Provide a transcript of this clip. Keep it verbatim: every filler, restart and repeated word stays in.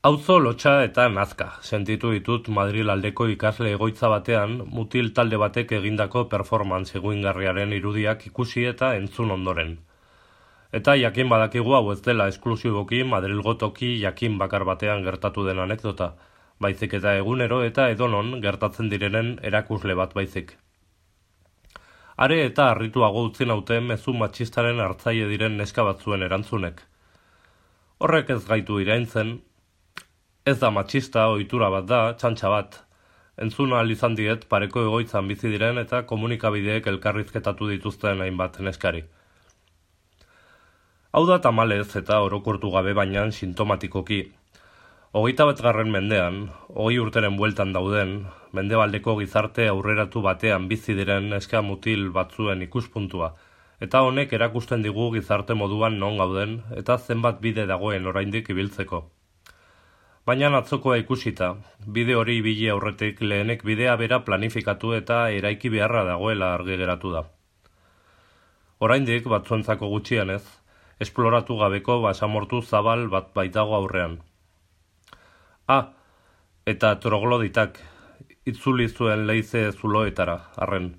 Auzo lotsa eta nazka, sentitu ditut Madril aldeko ikasle egoitza batean mutil talde batek egindako performance eguingarriaren irudiak ikusi eta entzun ondoren. Eta jakin badakigu hau ez dela esklusiboki Madrilgo toki jakin bakar batean gertatu den anekdota, baizik eta egunero eta edonon gertatzen direnen erakusle bat baizik. Are eta harrituago utzi naute mezu matxistaren hartzaile diren neska batzuen erantzunek. Horrek ez gaitu iraintzen. Ez da matxista, ohitura bat da, txantxa bat. Entzun ahal izan diet pareko egoitzan bizi diren eta komunikabideek elkarrizketatu dituzten hainbat neskari. Hau da tamalez eta orokortu gabe baina sintomatikoki. Hogeita batgarren mendean, hogei urteren bueltan dauden, mendebaldeko gizarte aurreratu batean bizi diren neska mutil batzuen ikuspuntua, eta honek erakusten digu gizarte moduan non gauden eta zenbat bide dagoen oraindik ibiltzeko. Baina atzokoa ikusita, bide hori ibili aurretik lehenek bidea bera planifikatu eta eraiki beharra dagoela argi geratu da. Oraindik batzuentzako gutxienez, esploratu gabeko basamortu zabal bat baitago aurrean. Ah, eta trogloditak, itzuli zuen leize zuloetara, arren.